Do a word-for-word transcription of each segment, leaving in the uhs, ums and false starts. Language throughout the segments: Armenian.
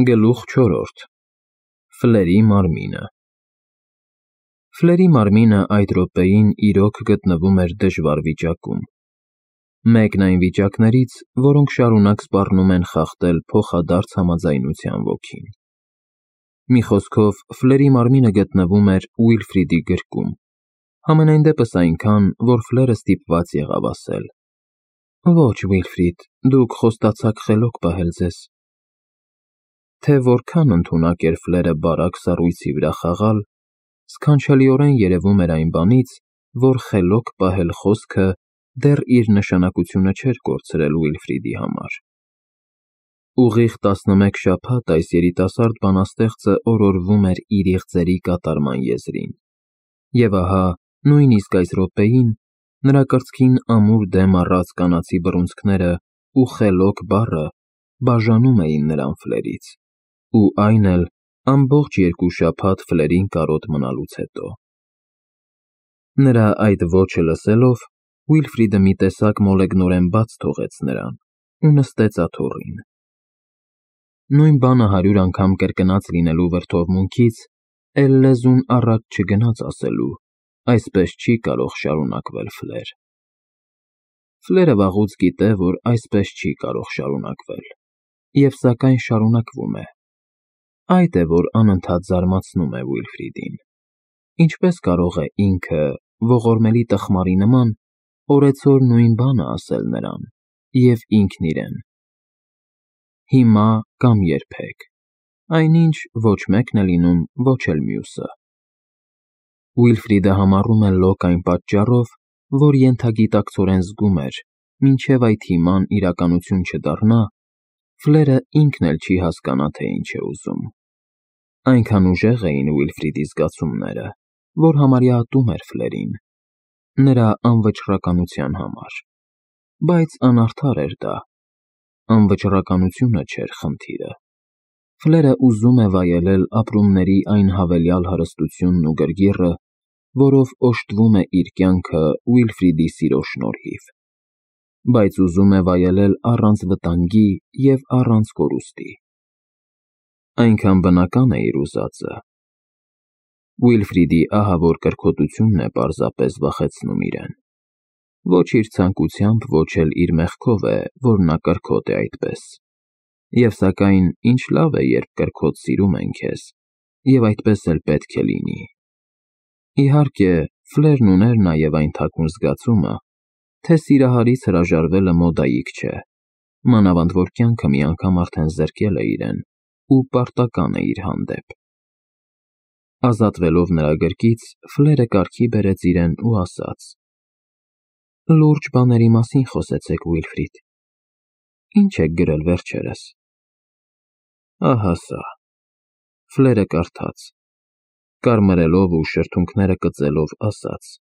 Գլուխ չորրորդ Ֆլերի մարմինը Ֆլերի մարմինը այդ րոպեին իրոք գտնվում էր դժվար վիճակում, մեկն այն վիճակներից, որոնք շարունակ սպառնում են խախտել փոխադարձ համաձայնության ոգին։ Մի խոսքով, Ֆլերի մարմինը գտնվում էր Ուիլֆրիդի գրկում, համենայն դեպս այնքան, որ Ֆլերը ստիպված եղավ ասել. «Ոչ, Ուիլֆրիդ, դուք խոստացաք խելոք պահել ձեզ»։ Թե որքան ընդունակ էր Ֆլերը բարակ սառույցի վրա խաղալ, սքանչելիորեն երևում էր այն բանից, որ խելոք պահել խոսքը դեռ իր նշանակությունը չէր կորցրել Ուիլֆրիդի համար։ Ուղիղ տասնմեկ շաբաթ այս երիտասարդ բանաստեղծը օրորվում էր իր իղձերի կատարման եզրին, և ահա, նույնիսկ այս րոպեին, նրա կրծքին ամուր դեմ առած կանացի բռունցքները ու խելոք բառը բաժանում էին նրան Ֆլերից, ու այն էլ ամբողջ երկու շաբաթ Ֆլերին կարոտ մնալուց հետո։ Նրա այդ ոճը լսելով, Ուիլֆրիդը մի տեսակ մոլեգնորեն բաց թողեց նրան ու նստեց աթոռին։ Նույն բանը հարյուր անգամ կրկնած լինելու վրդովմունքից, էլ լեզուն առաջ չգնաց ասելու. այսպես չի կարող շարունակվել Ֆլեր։ Ֆլերը վաղուց գիտե, որ այսպես չի կարող շարունակվել, և սակայն շարունակվում է։ Այդ է, որ անընդհատ զարմացնում է Ուիլֆրիդին։ Ինչպես կարող է ինքը, ողորմելի տխմարի նման, օրեցօր նույն բանը ասել նրան և ինքն իրեն. հիմա կամ երբեք, այնինչ ոչ մեկն է լինում, ոչ էլ մյուսը։ Ուիլֆրիդը համառում է լոկ այն պատճառով, որ ենթագիտակցորեն զգում էր, մինչև այդ հիման իրականություն չդառնա, Ֆլերը ինքն էլ չի հասկանա, թե ինչ է ուզում։ Այնքան ուժեղ էին Ուիլֆրիդի զգացումները, որ համարյա ատում էր Ֆլերին, նրա անվճռականության համար, բայց անարդար էր դա։ Անվճռականությունը չէր խնդիրը։ Ֆլերը ուզում է վայելել ապրումների այն հավելյալ հարստությունն ու գրգիռը, որով օժտվում է իր կյանքը Ուիլֆրիդի սիրո շնորհիվ, բայց ուզում է վայելել առանց վտանգի և առանց կորուստի։ Այնքան բնական է իր ուզածը։ Ուիլֆրիդի ահավոր կրքոտությունն է պարզապես վախեցնում իրեն։ Ոչ իր ցանկությամբ, ոչ էլ իր մեղքով է, որ նա կրքոտ է այդպես։ Եվ սակայն ինչ լավ է, երբ կրքոտ սիրում են քեզ, և այդպես էլ պետք է լինի։ Իհարկե, Ֆլերն ուներ նաև այն թաքուն զգացումը, թե սիրահարից հրաժարվելը մոդայիկ չէ, մանավանդ որ կյանքը մի անգամ արդեն զրկել է իրեն ու պարտական է իր հանդեպ։ Ազատվելով նրա գրկից, Ֆլերը կարգի բերեց իրեն ու ասաց. «Լուրջ բաների մասին խոսեցեք, Ուիլֆրիդ։ Ինչ եք գրել վերջերս»։ Ահա սա։ Ֆլերը կարդաց, կարմրելով ու շրթունքները կծելով ասաց.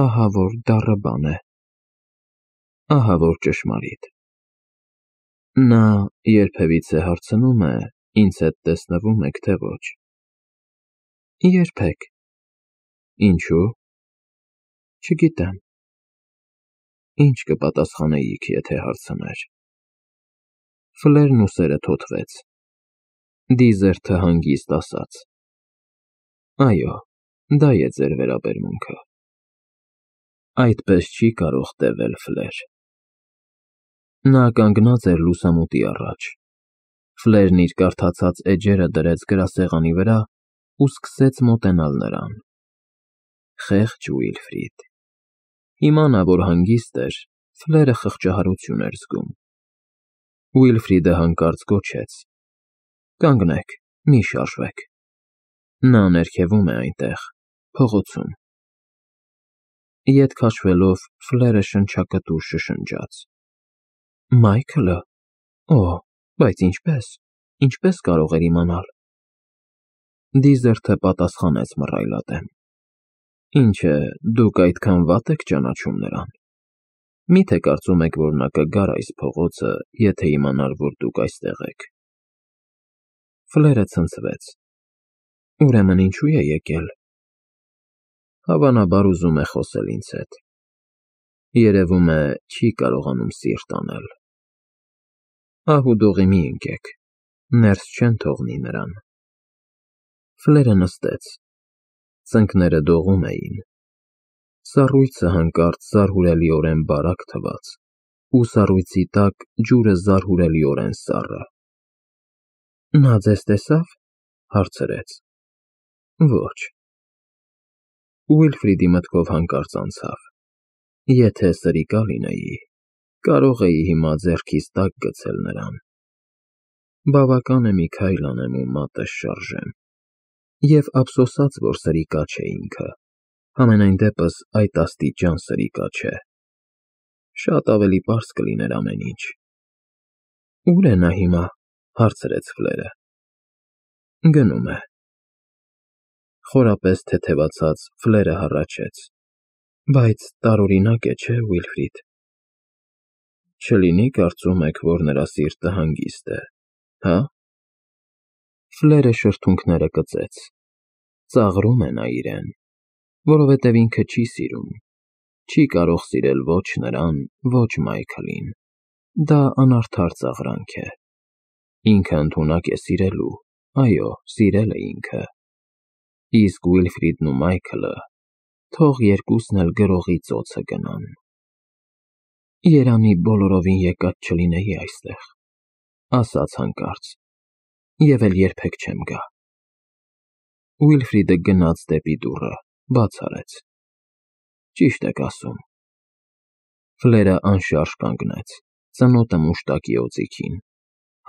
ահա որ դառը բան է։ Ահա որ ճշմարիտ։ Նա երբևիցե հարցնում է, ինձ հետ տեսնվո՞ւմ եք, թե ոչ։ Երբեք։ Ինչո՞ւ։ Չգիտեմ։ Ինչ կպատասխանեիք, եթե հարցներ։ Ֆլերն ուսերը թոթվեց։ Դիզերթը հանգիստ ասաց. Այո, դա է ձեր վերաբերմունքը։ Այդպես չի կարող տևել, Ֆլեր։ Նա կանգնած էր լուսամուտի առաջ։ Ֆլերն իր կարդացած էջերը դրեց գրասեղանի վրա ու սկսեց մոտենալ նրան։ Խեղճ Ուիլֆրիդ։ Հիմա նա, որ հանգիստ էր, Ֆլերը խղճահարություն էր զգում։ Ուիլֆրիդը հանկարծ գոչեց. Կանգնեք, մի շարժվեք։ Նա ներքևում է այնտեղ, փողոցում։ Ետ քաշվելով, Ֆլերը շնչակտուր շշնջաց. Մայքլը։ Օ, բայց ինչպե՞ս, ինչպե՞ս կարող էր իմանալ։ Դիզերթը պատասխանեց մռայլատեմ. Ինչ է, դուք այդքան վատ եք ճանաչում նրան։ Մի՞թե կարծում եք, որ նա կգար այս փողոցը, եթե իմանար, որ դուք այստեղ եք։ Ֆլերը ցնցվեց։ Ուրեմն ինչու է եկել։ Հավանաբար ուզում է խոսել ինձ հետ։ Երևում է, չի կարողանում սիրտ անել։ Ահ ու դողի մի ընկեք։ Ներս չեն թողնի նրան։ Ֆլերը նստեց, ծնկները դողում էին, սառույցը հանկարծ զարհուրելիորեն բարակ թվաց, ու սառույցի տակ ջուրը զարհուրելիորեն սառը։ Նա ձեզ տեսա՞վ, հարցրեց։ Ոչ։ Ուիլֆրիդի մտքով հանկարծ անցավ. եթե սրիկա լինեի, կարող էի հիմա ձեռքիս տակ գցել նրան։ Բավական է մի քայլ անեմ ու մատս շարժեմ։ Եվ ափսոսաց, որ սրիկա չէ ինքը, համենայն դեպս այդ աստիճան սրիկա չէ։ Շատ ավելի պարզ կլիներ ամեն ինչ։ Ո՞ւր է նա հիմա, հարցրեց Ֆլերը։ Գնում է։ Խորապես թեթևացած Ֆլերը հառաչեց. Բայց տարօրինակ է, չէ՞, Ուիլֆրիդ։ Չլինի կարծում եք, որ նրա սիրտը հանգիստ է, հա՞։ Ֆլերը շրթունքները կծեց։ Ծաղրում է նա իրեն, որովհետև ինքը չի սիրում, չի կարող սիրել ոչ նրան, ոչ Մայքլին։ Դա անարդար ծաղրանք է։ Ինքը ընդունակ է սիրելու, այո, սիրել է ինքը։ Իսկ Ուիլֆրիդն ու Մայքլը, թող երկուսն էլ գրողի ծոցը գնան։ Երանի բոլորովին եկած չլինեի այստեղ, ասաց հանկարծ, և էլ երբեք չեմ գա։ Ուիլֆրիդը գնաց դեպի դուռը, բաց արեց։ Ճիշտ եք ասում։ Ֆլերը անշարժ կանգնեց, ծնոտը մուշտակի օձիքին,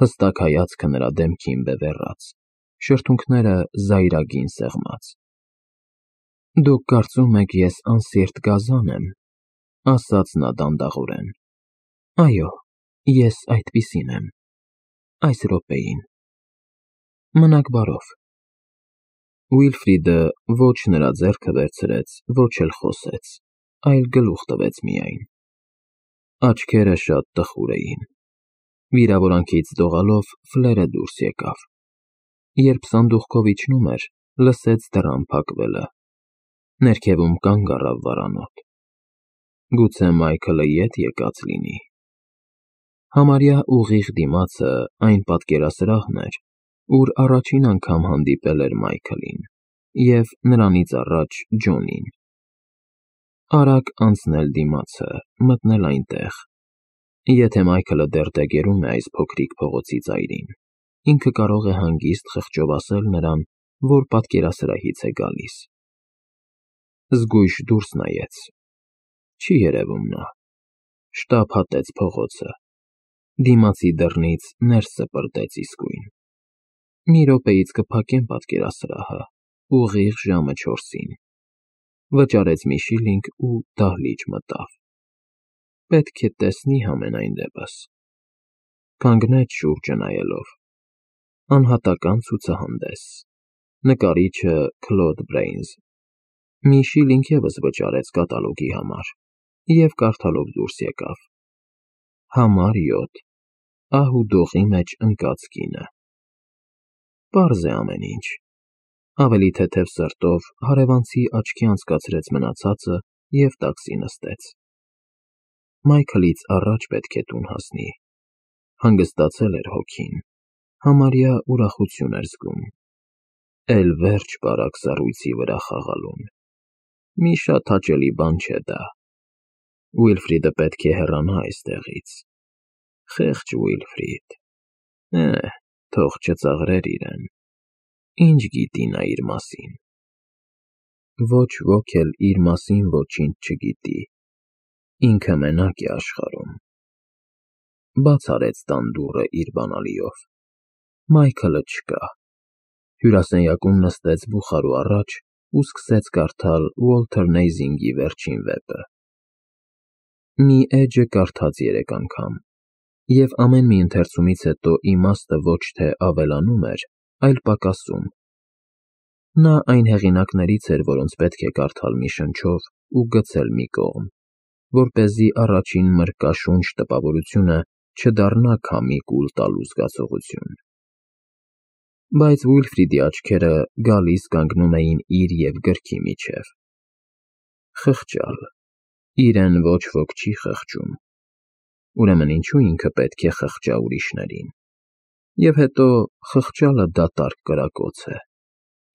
հստակ հայացքը նրա դեմքին բևեռած, շրթունքները զայրագին սեղմած։ Դուք կարծում եք ես անսիրտ գազան եմ, ասաց նա դանդաղորեն։ Այո, ես այդպիսին եմ, այս րոպեին։ Մնաք բարով։ Ուիլֆրիդը ոչ նրա ձեռքը վերցրեց, ոչ էլ խոսեց, այլ գլուխ տվեց միայն։ Աչքերը շատ տխուր էին։ Վիրավորանքից դողալով Ֆլերը դուրս եկավ։ Երբ սանդուղքով իջնում էր, լսեց դռան փակվելը։ Ներքևում կանգ առավ վարանոտ։ Գուցե Մայքլը ետ եկած լինի։ Համարյա ուղիղ դիմացը այն պատկերասրահն էր, ուր առաջին անգամ հանդիպել էր Մայքլին, և նրանից առաջ Ջոնին։ Արագ անցնել դիմացը, մտնել այնտեղ։ Եթե Մայքլը դեռ դեգերում է այս փոքրիկ փողոցի ծայրին, ինքը կարող է հանգիստ խղճով ասել նրան, որ պատկերասրահից է գալիս։ Զգույշ դուրս նայեց։ Չի երևում նա։ Շտապ հատեց փողոցը։ Դիմացի դռնից ներս սպրտեց իսկույն։ Մի րոպեից կփակեմ պատկերասրահը, ուղիղ ժամը չորսին։ Վճարեց մի շիլինգ ու դահլիճ մտավ։ Պետք է տեսնի համենայն դեպս։ Կանգնեց շուրջը նայելով։ Անհատական ցուցահանդես։ Նկարիչը Քլոդ Բրեյնզ։ Մի շիլինգ ևս վճարեց կատալոգի համար և կարդալով դուրս եկավ. Համար յոթ, ահ ու դողի մեջ ընկած կինը։ Պարզ է ամեն ինչ։ Ավելի թեթև սրտով հարևանցի աչքի անցկացրեց մնացածը և տաքսի նստեց։ Մայքլից առաջ պետք է տուն հասնի։ Հանգստացել էր հոգին, համարյա ուրախություն էր զգում։ Էլ վերջ բարակ սառույցի վրա խաղալուն։ Մի շատ հաճելի բան չէ դա։ Ուիլֆրիդը պետք է հեռանա այստեղից։ Խեղճ Ուիլֆրիդ։ Է, թող չծաղրեր իրեն։ Ինչ գիտի նա իր մասին։ Ոչ ոք էլ իր մասին ոչինչ չգիտի։ Ինքը մենակ է աշխարհում։ Բաց արեց տան դուռը իր բանալիով։ Մայքլը չկա։ Հյուրասենյակում նստեց բուխարու առաջ ու սկսեց կարդալ Ուոլթեր Նեյզինգի վերջին վեպը։ Մի էջը կարդաց երեք անգամ, և ամեն մի ընթերցումից հետո իմաստը ոչ թե ավելանում էր, այլ պակասում։ Նա այն հեղինակներից էր, որոնց պետք է կարդալ մի շնչով ու գցել մի կողմ, որպեսզի առաջին մրկաշունչ տպավորությունը չդառնա քամի կուլ տալու զգացողություն։ Բայց Ուիլֆրիդի աչքերը գալիս կանգնում էին իր և գրքի միջև։ Խղճալ։ Իրեն ոչ ոք չի խղճում։ Ուրեմն ինչու ինքը պետք է խղճա ուրիշներին։ Եվ հետո խղճալը դատարկ կրակոց է,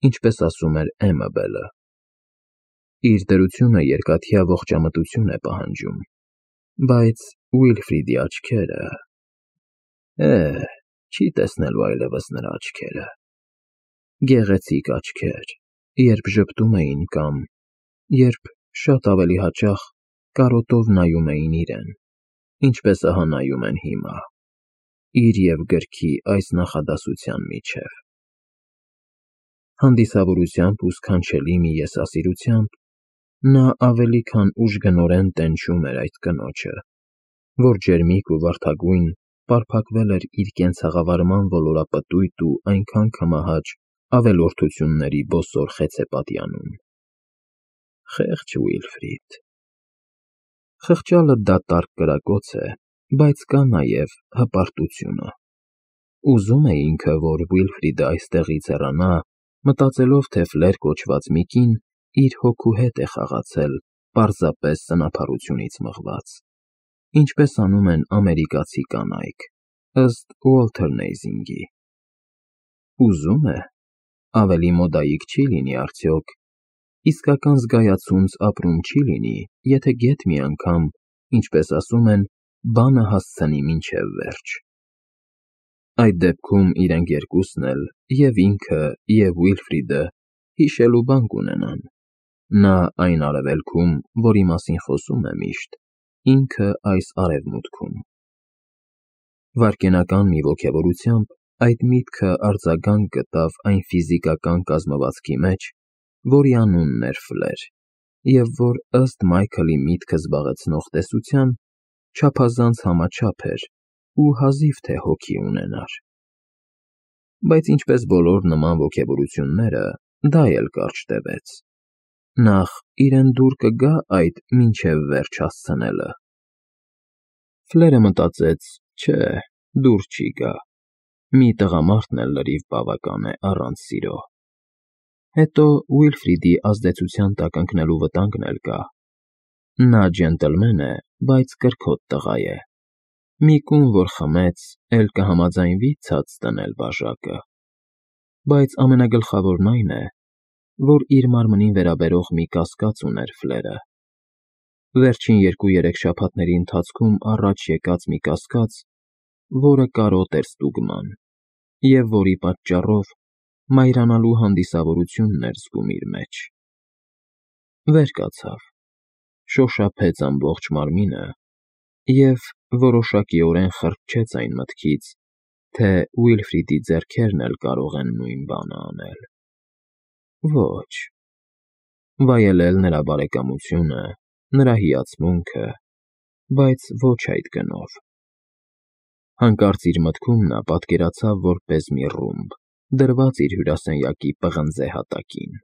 ինչպես ասում էր Էմաբելը. իր դրությունը երկաթյա ողջամտություն է պահանջում, բայց Ուիլֆրիդի աչքերը… Է՜, չի տեսնելու այլևս նրա աչքերը… Գեղեցիկ աչքեր, երբ ժպտում էին կամ, երբ շատ ավելի հաճախ կարոտով նայում էին իրեն, ինչպես ահա նայում են հիմա, իր և գրքի այս նախադասության միջև… Հանդիսավորությամբ ու սքանչելի մի եսասիրությամբ նա ավելի քան ուժգնորեն տենչում էր այդ կնոջը, որ ջերմիկ ու վարդագույն պարփակվել էր իր կենցաղավարման ոլորապտույտ ու այնքան կմահաճ ավելորդությունների բոսոր խեցեպատյանում… Խեղճ Ուիլֆրիդ… Խղճալը դատարկ կրակոց է, բայց կա նաև հպարտությունը… Ուզում է ինքը, որ Ուիլֆրիդը այստեղից հեռանա, մտածելով, թե Ֆլեր կոչված մի կին իր հոգու հետ է խաղացել պարզապես սնափառությունից մղված, ինչպես անում են ամերիկացի կանայք, ըստ Ուոլթեր Նեյզինգի… Ուզում է… Ավելի մոդայիկ չի լինի արդյոք, իսկական զգայացունց ապրում չի լինի, եթե գեթ մի անգամ, ինչպես ասում են, բանը հասցնի մինչև վերջ… Այդ դեպքում իրենք երկուսն էլ, և ինքը, և Ուիլֆրիդը, հիշելու բան կունենան, նա այն արևելքում, որի մասին խոսում է միշտ, ինքը այս արևմուտքում… Վայրկենական մի ոգևորությամբ այդ միտքը արձագանք գտավ այն ֆիզիկական կազմվածքի մեջ, որի անունն էր Ֆլեր, և որ, ըստ Մայքլի միտքը զբաղեցնող տեսության, չափազանց համաչափ էր ու հազիվ թե հոգի ունենար… Բայց ինչպես բոլոր նման ոգևորությունները, դա էլ կարճ տևեց… Նախ իրեն դուր կգա այդ «մինչև վերջ» հասցնելը… Ֆլերը մտածեց. չէ, դուր չի գա, մի տղամարդն էլ լրիվ բավական է առանց սիրո… Հետո Ուիլֆրիդի ազդեցության տակ ընկնելու վտանգն էլ կա… Նա ջենտլմեն է, բայց կրքոտ տղա է… Մի կում, որ խմեց, էլ կհամաձայնվի ցած տնել բաժակը… Բայց ամենագլխավորն այն է, որ իր մարմնին վերաբերող մի կասկած ուներ Ֆլերը… Վերջին երկու֊երեք շաբաթների ընթացքում առաջ եկած մի կասկած, որը կարոտ էր ստուգման, և որի պատճառով մայրանալու հանդիսավորությունն էր զգում իր մեջ… Վեր կացավ, շոշափեց ամբողջ մարմինը և որոշակիորեն խրճեց այն մտքից, թե Ուիլֆրիդի ձեռքերն էլ կարող են նույն բանը անել… Ոչ… Վայելել նրա բարեկամությունը, նրա հիացմունքը, բայց ոչ այդ գնով… Հանկարծ իր մտքում նա պատկերացավ որպես մի ռումբ, դրված իր հյուրասենյակի պղնձե հատակին…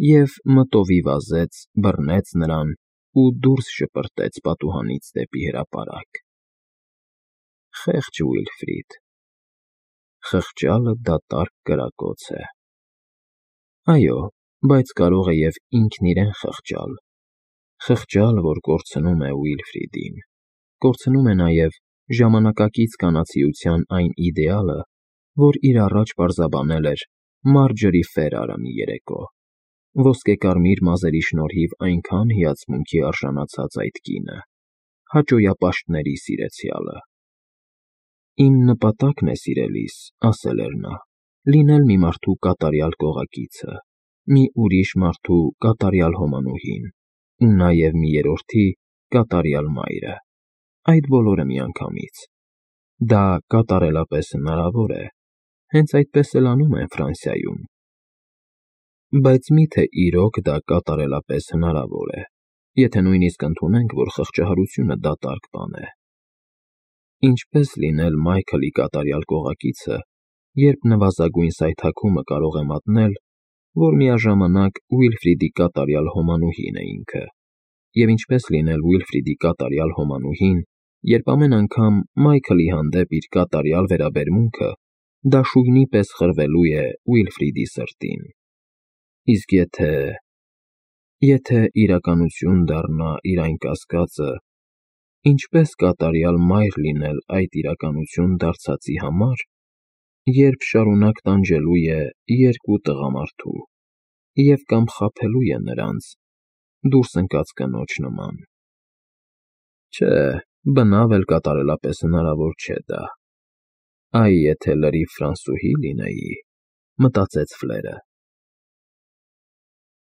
Եվ մտովի վազեց, բռնեց նրան ու դուրս շպրտեց պատուհանից դեպի հրապարակ… Խեղճ Ուիլֆրիդ… Խղճալը դատարկ կրակոց է… Այո, բայց կարող է և ինքն իրեն խղճալ… Խղճալ, որ կորցնում է Ուիլֆրիդին, կորցնում է նաև ժամանակակից կանացիության այն իդեալը, որ իր առաջ պարզաբանել էր Մարջորի Ֆերարը մի երեկո, ոսկեկարմիր մազերի շնորհիվ այնքան հիացմունքի արժանացած այդ կինը, հաճոյապաշտների սիրեցյալը… Իմ նպատակն է, սիրելիս, ասել էր նա, լինել մի մարդու կատարյալ կողակիցը, մի ուրիշ մարդու կատարյալ հոմանուհին ու նաև մի երրորդի կատարյալ մայրը, այդ բոլորը միանգամից… Դա կատարելապես հնարավոր է, հենց այդպես էլ անում են Ֆրանսիայում… Բայց մի՞թե իրոք դա կատարելապես հնարավոր է, եթե նույնիսկ ընդունենք, որ խղճահարությունը դատարկ բան է… Ինչպե՞ս լինել Մայքլի կատարյալ կողակիցը, երբ նվազագույն սայթաքումը կարող է մատնել, որ միաժամանակ Ուիլֆրիդի կատարյալ հոմանուհին է ինքը, և ինչպե՞ս լինել Ուիլֆրիդի կատարյալ հոմանուհին, երբ ամեն անգամ Մայքլի հանդեպ իր կատարյալ վերաբերմունքը դաշույնի պես խրվելու է Ուիլֆրիդի սրտին… Իսկ եթե… եթե իրականություն դառնա իր այն կասկածը, ինչպե՞ս կատարյալ մայր լինել այդ իրականություն դարձածի համար, երբ շարունակ տանջելու է երկու տղամարդու և կամ խաբելու է նրանց, դուրս ընկած կնոջ նման։ Չէ, բնավ էլ կատարելապես հնարավոր չէ դա։ «Այ եթե լրիվ ֆրանսուհի լինեի»,֊ մտածեց Ֆլերը։